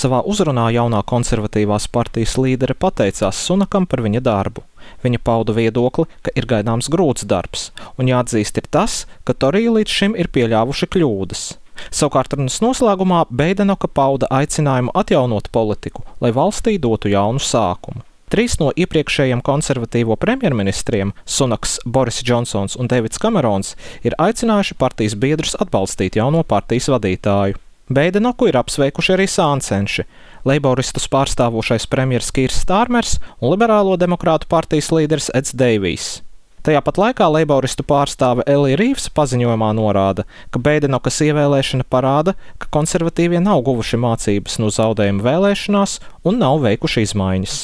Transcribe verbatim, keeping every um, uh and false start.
Savā uzrunā jaunā konservatīvās partijas līdere pateicās Sunakam par viņa darbu. Viņa pauda viedokli, ka ir gaidāms grūts darbs, un jāatzīst ir tas, ka Torija līdz šim ir pieļāvuši kļūdas. Savukārt runas noslēgumā Beidenoka pauda aicinājumu atjaunot politiku, lai valstī dotu jaunu sākumu. Trīs no iepriekšējiem konservatīvo premjerministriem, Sunaks, Boris Džonsons un Deivids Kamerons, ir aicinājuši partijas biedrus atbalstīt jauno partijas vadītāju. Beidenoku ir apsveikuši arī sāncenši, leiboristus pārstāvošais premjers Kīrs Stārmers un liberālo demokrātu partijas līderis Eds Deivijs. Tajā pat laikā leiboristu pārstāve Elija Rīvs paziņojumā norāda, ka Beidenokas ievēlēšana parāda, ka konservatīvie nav guvuši mācības no zaudējuma vēlēšanās un nav veikuši izmaiņas.